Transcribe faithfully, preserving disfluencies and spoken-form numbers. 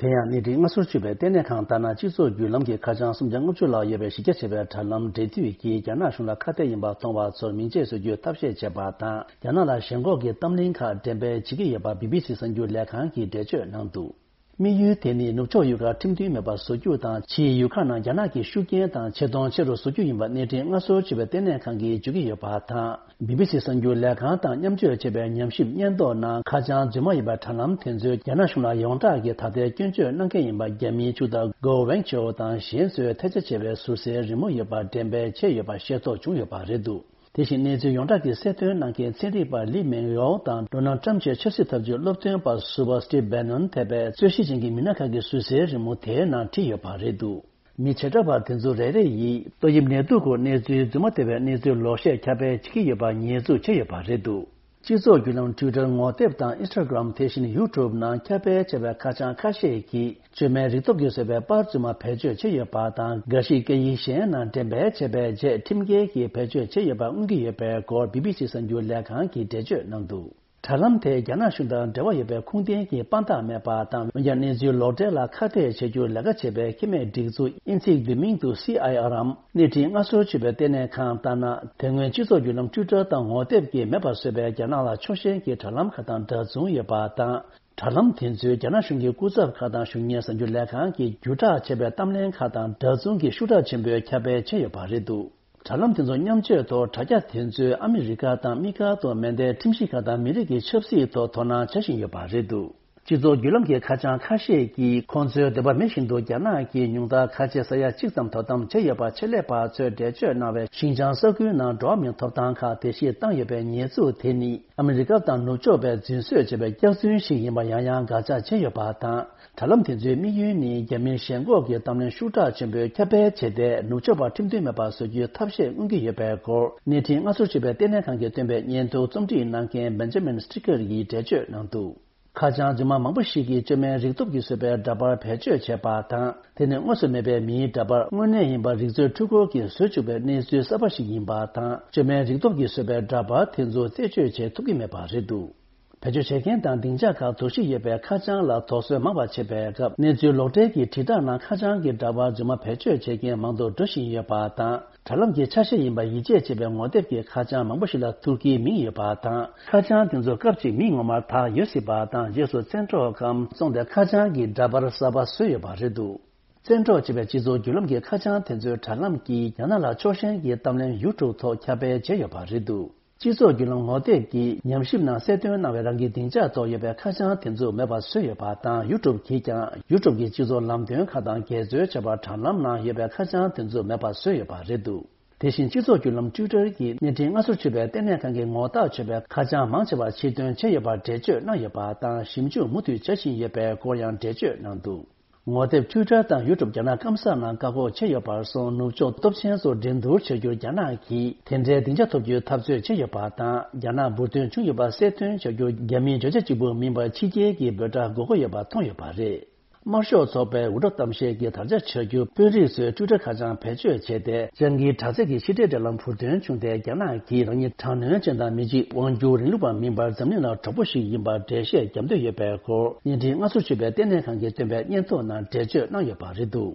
དེ་ཡང་གནས་འཕྲིན་སྔ་སོར་ཆུད་པའི་ལྟེ་གནས་ཁང་ལྟར་ན། སྤྱི་ཚོགས་བརྒྱུད་ལམ་གྱི་ཁ་བྱང་སུམ་བརྒྱ་ལྔ་བཅུ་ལྷག་ཡོད་པའི་གཞི་རྒྱ་ཆེ་བའི་དྲ་ལམ་འབྲེལ་མཐུད་ཀྱིས་རྒྱ་ནག་གཞུང་ལ་ཁ་གཏད་ཡིན་པ་མཐོང་བ་ཚོར་མིང་ཆད་བཟོ་རྒྱུའི་ཐབས་ཤེས་བྱས་པ་དང་། རྒྱ་ནག་ལ་ཞེན་ཁོག་གི་གཏམ་གླེང་ཁག་འགྲེམས་སྤེལ་བྱེད་ཀྱི་ཡོད་པ་བི་བི་སི་གསར་འགྱུར་ལས་ཁང་གིས་འགྲེལ་བརྗོད་གནང་འདུག་དམིགས་ཡུལ་དེ་ནི་ནུབ་ཕྱོགས་ཡུལ་ཁག་ཁྲིམས་མཐུན་མེད་པར་བཟོ་རྒྱུ་དང་། ཕྱིའི་ཡུལ་ཁག་ནང་རྒྱ་ནག་གི་ཤུགས་རྐྱེན་དང་ཆེ་མཐོང་ཆེ་རུ་བཟོ་རྒྱུ་ཡིན་པ་གནས་འཕྲིན་སྔ་སོར་ཆུད་པའི་ལྟེ་གནས་ཁང་གིས་བརྗོད་ཀྱི་ཡོད་པ་དང་། བི་བི་སི་གསར་འགྱུར་ལས་ཁང་དང་མཉམ་སྤྱོད་བྱས་པའི་ཉམས་ཞིབ་སྙན་ཐོ་ནང་ཁ་བྱང་རྫུན་མ་ཡིན་པའི་དྲ་ལམ་དེ་ཚོས་རྒྱ་ནག་གཞུང་ལ་ཡོངས་གྲགས་ཀྱི་ད་ལྟའི་སྐྱོན་བརྗོད་གནང་མཁན་ཡིན་པ་རྒྱ་མིའི་ཕྱུག་བདག་Guo Wengchao་དང་གཞན་ཚོས་ཐལ་ཆ་ཆེ་བའི་ཟུར་ཟའི་རི་མོ་ཡོད་པ་འགྲེམས་སྤེལ་བྱས་ཡོད་པ་ཤེས་རྟོགས་བྱུང་ཡོད་པ་རེད་འདུག་དེ་བཞིན་གནས་ཚུལ་ཡོངས་གྲགས་ཀྱི་གསལ་སྟོན་གནང་མཁན་ཚན་རིག་པ་ལི་མེང་ཡའོ་དང་ཌོ་ནལ་ཊམ་ཆེད་ཆབ་སྲིད་ཐབས་ཇུས་སློབ་སྟོན་པ་ཟུར་པ་སི་ཊིབ་བྷེ་ནོན་ཐེ་བའི་རྩོད་གཞི་ཅན་གྱི་མི་སྣ་ཁག་གི་ཟུར་ཟའི་རི་མོ་དེའི་ནང་བྲིས་ཡོད་པ་རེད་འདུག་མི་བྱེ་བྲག་པ་དེ་ཚོ་རེ་རེ་ཡིས་ཏོག་དབྱིབས་ནད་དུག་སྐོར་གནས་ཚུལ་རྫུན་མ་སྟེར་བའི་གནས་ཚུལ་ལོག་བཤད་ཁྱབ་སྤེལ་བྱེད་ཀྱི་ཡོད་པ་ཉེས་འཛུགས་བྱས་ཡོད་པ་རེད་འདུག་སྤྱི་ཚོགས་བརྒྱུད་ལམ་Twitter། ངོ་དེབ་དང་Instagram། དེ་བཞིན་YouTube་ནང་ཁྱབ་སྤེལ་བྱས་པའི་ཁ་བྱང་ཁ་ཤས་ཀྱིས་བཅོས་མའི་རིག་སྟོབས་ཀྱིས་བཟོས་པའི་པར་རྫུན་མ་བེད་སྤྱོད་བྱས་ཡོད་པ་དང་། འགའ་ཞིག་སྐད་ཡིག་གཞན་ནང་འགྲེམས་སྤེལ་བྱས་པའི་རྗེས་ཁྲིམས་འགལ་གྱིས་བེད་སྤྱོད་བྱས་ཡོད་པ་མངོན་གྱི་ཡོད་པའི་སྐོར་བི་བི་སི་གསར་འགྱུར་ལས་ཁང་གིས་འགྲེལ་བརྗོད་གནང་འདུག་དྲ་ལམ་དེས་རྒྱ་ནག་གཞུང་དང་འབྲེལ་བ་ཡོད་པའི་ཁུངས་ལྡན་གྱི་དཔང་རྟགས་མེད་པ་དང་། འོན་ཀྱང་གནས་ཚུལ་ལོག་འགྲེལ་ལ་ཁ་གཏད་བྱེད་རྒྱུར་ལས་ཀ་བྱེད་པའི་ཁེ་མེད་སྒྲིག་འཛུགས་དབྱིན་ཚིག་བསྡུས་མིང་དུ་སི་ཨའི་ཨར་འམ་གནས་འཕྲིན་སྔ་སོར་ཆུད་པའི་ལྟེ་གནས་ཁང་ལྟར་ན། དེ་སྔོན་སྤྱི་ཚོགས་བརྒྱུད་ལམ་Twitter་དང་ངོ་དེབ་ཀྱིས་མེད་པར་བཟོས་པའི་རྒྱ་ནག་ལ་ཕྱོགས་ཞེན་གྱི་དྲ་ལམ་ཁག་དང་འདྲ་མཚུངས་ཡོད་པ་དང་། དྲ་ལམ་དེ་ཚོས་རྒྱ་ནག་གཞུང་གི་སྐུ་ཚབ་ཁག་དང་། གཞུང་གཉེར་གསར་འགྱུར་ལས་ཁང་གིས་བརྒྱུད་བསྒྲགས་བྱས་པའི་གཏམ་གླེང་ཁག་དང་འདྲ་མཚུངས་ཀྱི་ཤུགས་དྲག་ཆེན་པོས་ཁྱབ་སྤེལ་བྱས་ཡོད་པ་རེད་འདུག་དྲ་ལམ་དེ་ཚོ་མཉམ་སྤྱོད་ཐོག་དྲ་རྒྱ་དེ་ཚོས་ཨ་མི་རི་ཀ་དང་དམིགས་བཀར་དུ་མེ་མདའི་ཁྲིམས་གཞི་ཁག་དང་མི་རིགས་ཀྱི་ཆབ་སྲིད་ཐོག་དོ་སྣང་བྱ་བཞིན་ཡོད་པ་རེད་འདུག་སྤྱི་ཚོགས་བརྒྱུད་ལམ་གྱི་ཁ་བྱང་ཁ་ཤས་ཀྱིས་ཁོང་ཚོའི་འདོད་པ་མེད་བཞིན་དུ་རྒྱ་ནག་གིས་ཉུང་མཐར་ཁ་ཆེ་ས་ཡ་གཅིག་ཙམ་དོ་དམ་བྱས་ཡོད་པ་ཆེད་ལས་པ་ཚོས་འགྲེལ་བརྗོད་གནང་བའི་ཤིན་ཅང་ས་ཁུལ་ནང་འགྲོ་བ་མིའི་ཐོབ་ཐང་ཁག་བརྡལ་བཤིག་བཏང་ཡོད་པའི་ཉེས་འཛུགས་དེ་ནི། ཨ་མི་རི་ཀ་དང་ནུབ་ཕྱོགས་པས་རྫུན་བཟོས་བྱས་པའི་སྐྱག་རྫུན་ཞིག་ཡིན་པ་ཡང་ཡང་དགག་བྱ་བྱས་ཡོད་པ་དང་། དྲ་ལམ་དེ་ཚོའི་དམིགས་ཡུལ་ནི་རྒྱ་མིར་ཞེན་ཁོག་གི་གཏམ་གླེང་ཤུགས་དྲག་ཆེན་པོས་ཁྱབ་སྤེལ་བྱས་ཏེ། ནུབ་ཕྱོགས་པ་ཁྲིམས་མཐུན་མེད་པར་བཟོ་རྒྱུའི་ཐབས་ཤེས་མངོན་གྱི་ཡོད་པའི་སྐོར་གནས་འཕྲིན་སྔ་སོར་ཆུད་པའི་ལྟེ་གནས་ཁང་གིས་བཏོན་པའི་སྙན་ཐོ་རྩོམ་སྒྲིག་གནང་མཁན་Benjamin Stricker་ཡིས་འགྲེལ་བརྗོད་གནང་འདུག་ཁ་བྱང་རྫུན་མ་མང་པོ་ཞིག་གིས་བཅོས་མའི་རིག་སྟོབས་ཀྱིས་བཟོས་པའི་འདྲ་པར་བེད་སྤྱོད་བྱས་པ་དང་། དེ་ནི་དངོས་སུ་མེད་པའི་མིའི་འདྲ་པར་དངོས་གནས་ཡིན་པར་རིག་མཛོད་འཕྲུལ་འཁོར་གྱིས་བཟོས་བཅུག་པའི་གནས་ཚུལ་གསར་པ་ཞིག་ཡིན་པ་དང་། བཅོས་མའི་རིག་སྟོབས་ཀྱིས་བཟོས་པའི་འདྲ་པར་དེ་ཚོ་རྩད་གཅོད་བྱེད་ཐུབ་ཀྱི་མེད་པ་རེད་འདུག་བེད་སྤྱོད་བྱེད་མཁན་དང་སྡིངས་ཆ་ཁག་དོགས་གཞི་ཡོད་པའི་ཁ་བྱང་ལ་དོགས་ཟོན་མང་བ་བྱེད་པའི་སྐབས། གནས་ཚུལ་ལོག་འགྲེལ་གྱི་དྲིལ་བསྒྲགས་ནང་ཁ་བྱང་གི་འདྲ་པར་རྫུན་མ་བེད་སྤྱོད་བྱེད་མཁན་མང་དུ་འགྲོ་བཞིན་ཡོད་པ་དང་། དྲ་ལམ་གྱི་ཆ་ཤས་ཡིན་པ་ཡིད་ཆེས་བྱེད་པའི་ངོ་དེབ་ཀྱི་ཁ་བྱང་མང་པོ་ཞིག་ལ་ཐུར་གྱིས་མིང་ཡོད་པ་དང་། ཁ་བྱང་དེ་ཚོ་སྐབས་གཅིག་མིང་ངོ་མར་དག་ཡོད་སྲིད་པ་དང་། རྗེས་སུ་བཙན་འཕྲོག་གམ་བཙོངས་ཏེ་ཁ་བྱང་གི་འདྲ་པར་གསར་པ་བཟོས་ཡོད་པ་རེད་འདུག་བཙན་འཕྲོག་བྱས་པའི་སྤྱི་ཚོགས་བརྒྱུད་ལམ་གྱི་ཁ་བྱང་དེ་ཚོའི་དྲ་ལམ་གྱིས་རྒྱ་ནག་ལ་ཕྱོགས་ཞེན་གྱི་གཏམ་གླེང་YouTube་ཐོག་ཁྱབ་སྤེལ་བྱས་ཡོད་པ་རེད་འདུག་སྤྱི་ཚོགས་བརྒྱུད་ལམ་ངོ་དེབ་ཀྱིས་ཉམས་ཞིབ་ནང་གསལ་སྟོན་གནང་བའི་རང་གི་སྡིངས་ཆ་ཐོག་ཡོད་པའི་ཁ་བྱང་དེ་ཚོ་མེད་པར་བཟོས་ཡོད་པ་དང་། YouTube་གིས་ཀྱང་YouTube་གི་སྤྱི་ཚོགས་ལམ་སྟོན་ཁག་དང་འགལ་འཛོལ་བྱས་པར་དྲ་ལམ་ནང་ཡོད་པའི་ཁ་བྱང་དེ་ཚོ་མེད་པར་བཟོས་ཡོད་པ་རེད་འདུག་དེ་བཞིན་སྤྱི་ཚོགས་བརྒྱུད་ལམ་Twitter་གྱིས་གནས་འཕྲིན་སྔ་སོར་ཆུད་པའི་ལྟེ་གནས་ཁང་གིས་ངོ་རྟགས་ཆོད་པའི་ཁ་བྱང་མང་ཆེ་བ་ཕྱིར་འདོན་བྱས་ཡོད་པར་འགྲེལ་བརྗོད་གནང་ཡོད་པ་དང་། ཞིབ་འཇུག་མུ་མཐུད་བྱ་བཞིན་ཡོད་པའི་སྐོར་ཡང་འགྲེལ་བརྗོད་གནང་འདུག་ངོ་དེབ་Twitter་དང་YouTube་རྒྱ་ནག་སྐམ་ས་ནང་བཀག་འགོག་བྱས་ཡོད་པར་སོང་། ནུབ་ཕྱོགས་སྟོབས་ཆེན་ཚོར་འགྲན་བསྡུར་བྱ་རྒྱུར་རྒྱ་ནག་གིས་དེ་འདྲའི་སྡིངས་ཆ་ཐོབ་རྒྱུའི་འཐབ་རྩོད་བྱས་ཡོད་པ་དང་། རྒྱ་ནག་འབུར་ཐོན་བྱུང་ཡོད་པ་གསལ་སྟོན་བྱ་རྒྱུར་རྒྱ་མིའི་བརྗོད་བྱ་གཅིག་པུ་མིན་པར་ཕྱི་རྒྱལ་གྱི་འབོད་སྒྲ་དགོས་མཁོ་ཡོད་པ་མཐོང་ཡོད་པ་རེད། དམར་ཤོག་ཚོགས་པའི་འུར་སྒྲ་གཏམ་བཤད་ཀྱི་དར་ཆ་ཆགས་རྒྱུ། དཔོན་རིགས་ཚོས་ཊུའི་ཊར་ཁ་བྱང་བེད་སྤྱོད་བྱས་ཏེ། སྤྱང་ཀིའི་དྲག་རྩལ་གྱི་ཕྱི་འབྲེལ་འབྲེལ་ལམ་འབུར་ཐོན་བྱུང་སྟེ། རྒྱ་ནག་གིས་རང་ཉིད་དྲག་གནོན་ཅན་དང་མི་གཅིག་དབང་སྒྱུར་རིང་ལུགས་པ་མིན་པར་འཛམ་གླིང་ལ་གྲོགས་པོ་ཞིག་ཡིན་པར་འགྲེལ་བཤད་བརྒྱབ་འདོད་ཡོད་པའི་སྐོར། གནས་འཕྲིན་སྔ་སོར་ཆུད་པའི་ལྟེ་གནས་ཁང་གིས་བཏོན་པའི་སྙན་ཐོ་ནང་འགྲེལ་བརྗོད་གནང་ཡོད་པ་རེད་འདུག